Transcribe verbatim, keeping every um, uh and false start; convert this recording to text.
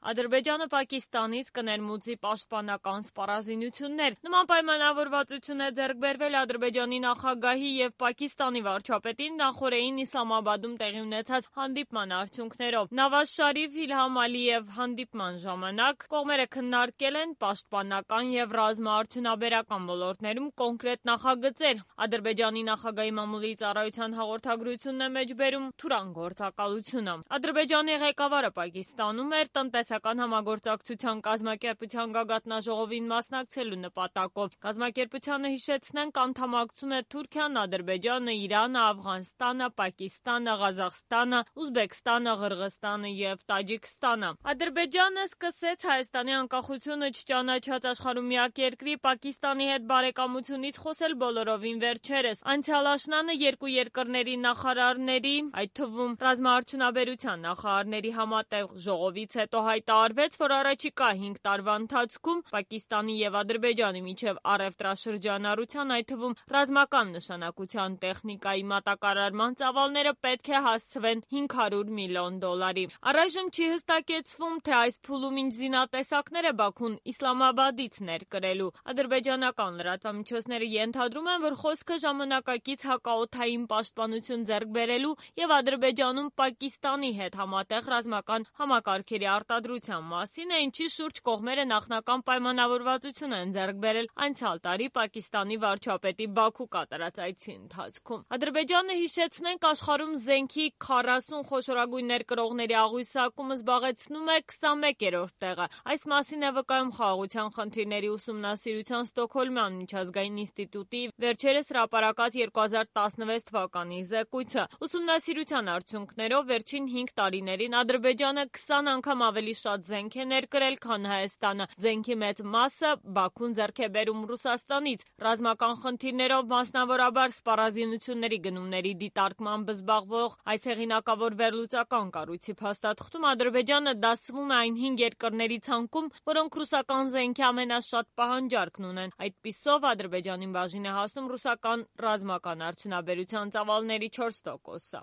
Ադրբեջանը Պակիստանից կներմուծի պաշտպանական սպառազինություններ։ Նման պայմանավորվածություն է ձեռք բերվել Ադրբեջանի նախագահի եւ Պակիստանի վարչապետի նախօրեին Իսլամաբադում տեղի ունեցած հանդիպման արդյունքներով։ Նավազ Շարիֆ, Իլհամ Ալիև հանդիպման ժամանակ կողմերը քննարկել են պաշտպանական եւ ռազմաարդյունաբերական ոլորտներում կոնկրետ նախագծեր։ Ադրբեջանի նախագահի մամուլի ծառայության հաղորդագրությունն է մեջբերում Թուրան գործակալությունը։ Ադրբեջանի ղեկավարը Պակիստանում էր տնտեսական համագործակցության կազմակերպության գագաթնաժողովին մասնակցելու նպատակով։ Կազմակերպությանը, հիշեցնենք, անդամակցում է Թուրքիան, Ադրբեջանը, Իրանը, Աֆղանստանը, Պակիստանը, Ղազախստանը, Ուզբեկստանը, Ղրղստանը եւ Տաջիկստանը։ Ադրբեջանը սկսեց Հայաստանի անկախությունը չճանաչած աշխարհում միակ երկրի Պակիստանի հետ բարեկամությունից խոսել բոլորովին վերջերս։ Անցյալ աշնանը երկու երկրների նախարարների, այդ թվում ռազմաարդյունաբերության նախարարների համատեղ ժողովից հետո հայտարարվեց, որ առաջիկա հինգ տարվա ընթացքում Պակիստանի եւ Ադրբեջանի միջև առևտրաշրջանառության, այդ թվում ռազմական նշանակության տեխնիկայի մատակարարման ծավալները պետք է հասցվեն հինգ հարյուր միլիոն դոլարի։ Առայժմ չի հստակեցվում, թե այս փուլում ինչ զինատեսակներ է Բաքուն Իսլամաբադից ներկրելու։ Ադրբեջանական լրատվամիջոցները ենթադրում են, որ խոսքը ժամանակակից հակաօդային պաշտպանություն ձեռք բերելու եւ Ադրբեջանում Պակիստանի հետ համատեղ ռազմական համակարգերի արտադրության մասին է, ինչի շուրջ կողմերը նախնական պայմանավորվածություն են ձեռք բերել անցյալ տարի Պակիստանի վարչապետի Բաքու կատարած այցի ընթացքում։ Ադրբեջանը, հիշեցնենք, աշխարհում զենքի քառասուն խոշորագույն ներկրողների աղյուսակում զբաղեցնում է քսանմեկերորդ տեղը։ Այս մասին է վկայում Խաղաղության խնդիրների ուսումնասիրության Ստոկհոլմյան միջազգային ինստիտուտի վերջերս հրապարակած երկու հազար տասնվեց թվականի զեկույցը։ Ուսումնասիրության արդյունքներով վերջին հինգ տարիներին Ադրբեջանը քսան անգամ ավելի շատ զենք է ներկրել, քան Հայաստանը։ Զենքի մեծ մասը Բաքուն ձեռք է բերում Ռուսաստանից։ Ռազմական խնդիրներով, մասնավորաբար սպառազինությունների գնումների դիտարկմամբ զբաղվող այս հեղինակավոր վերլուծական կառույցի փաստաթղթում Ադրբեջանը դասվում է այն հինգ երկրների ցանկում, որոնք ռուսական զենքի ամենաշատ պահանջարկն ունեն։ Այդպիսով Ադրբեջանին բաժին է հասնում ռուսական ռազմական արդյունաբերության ծավալների չորս տոկոսը։